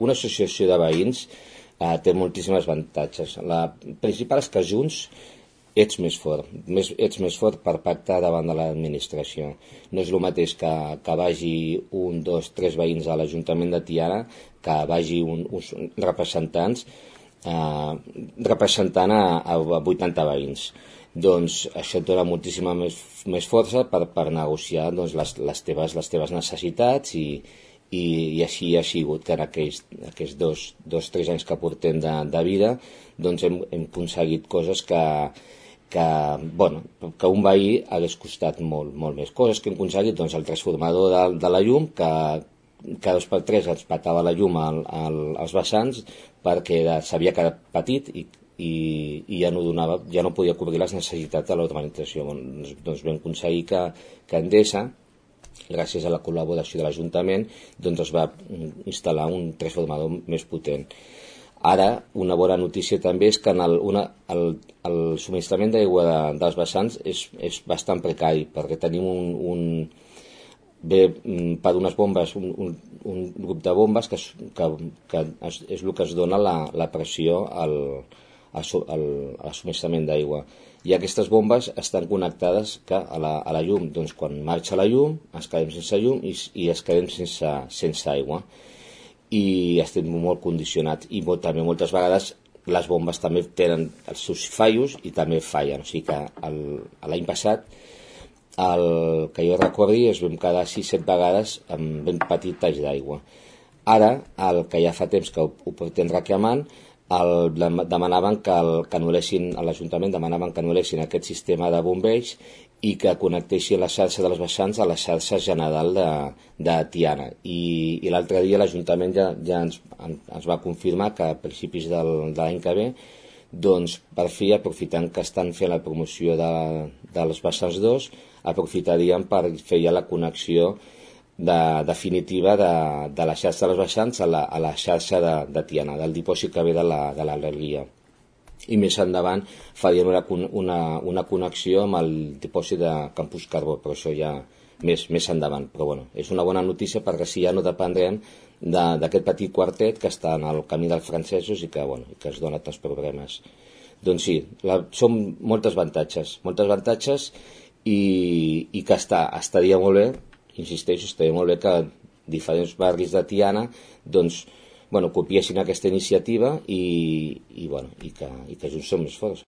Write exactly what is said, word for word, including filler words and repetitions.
una associació de veïns eh, té moltíssims avantatges. La principal és que junts ets més fort, més, ets més fort per pactar davant de l'administració. No és el mateix que, que vagi un, dos, tres veïns a l'Ajuntament de Tiana, que vagi un, uns representants eh, representant a, a vuitanta veïns. Doncs això et dona moltíssima més, més força per, per negociar doncs, les, les, teves, les teves necessitats i, i, i així ha sigut que en aquells, aquells dos, dos, tres anys que portem de, de vida doncs hem, hem aconseguit coses que que, bueno, que un veí hagués costat molt, molt més. Coses que hem aconseguit, doncs el transformador de, de la llum, que cada dos per tres ens patava la llum al, al, als vessants perquè s'havia quedat petit i, i, i ja no donava, ja no podia cobrir les necessitats de l'urbanització. Doncs, doncs vam aconseguir que, que Endesa, gràcies a la col·laboració de l'Ajuntament, doncs es va instal·lar un transformador més potent. Ara, una bona notícia també és que en el, una, el, el subministrament d'aigua de, dels vessants és, és bastant precari, perquè tenim un, un ve per unes bombes, un, un, un grup de bombes que, que, que és, és el que es dona la, la pressió al, al, al, al subministrament d'aigua. I aquestes bombes estan connectades que a, la, a la llum. Doncs quan marxa la llum, ens quedem sense llum i, i es quedem sense, sense aigua. I estem molt condicionats i molt, també moltes vegades les bombes també tenen els seus fallos i també fallen, o sigui que l'any passat el que jo recordi es vam quedar sis set vegades amb ben petit talls d'aigua. Ara, el que ja fa temps que ho, ho portem reclamant, el, demanaven que, el, que anul·lessin, a l'Ajuntament demanaven que anul·lessin aquest sistema de bombeig i que connectessin la xarxa dels vessants a la xarxa general de, de Tiana. I, i l'altre dia l'Ajuntament ja, ja ens, ens va confirmar que a principis del, de l'any que ve, doncs per fi, aprofitant que estan fent la promoció de, dels vessants dos, aprofitarien per fer ja la connexió de, definitiva de, de la xarxa dels vessants a la, a la xarxa de, de Tiana, del dipòsit que ve de l'Alergia. I més endavant farien una, una, una connexió amb el dipòsit de Campus Carbó, però això ja més, més endavant. Però bueno, és una bona notícia perquè si ja no dependrem d'aquest petit quartet que està en el camí dels francesos i que, bueno, que es dona tants problemes. Doncs sí, la, són moltes avantatges, moltes avantatges i, i que està, estaria molt bé, insisteixo, estaria molt bé que diferents barris de Tiana doncs bueno, copiessin aquesta iniciativa i, i, bueno, i, que, i que junts som més forts.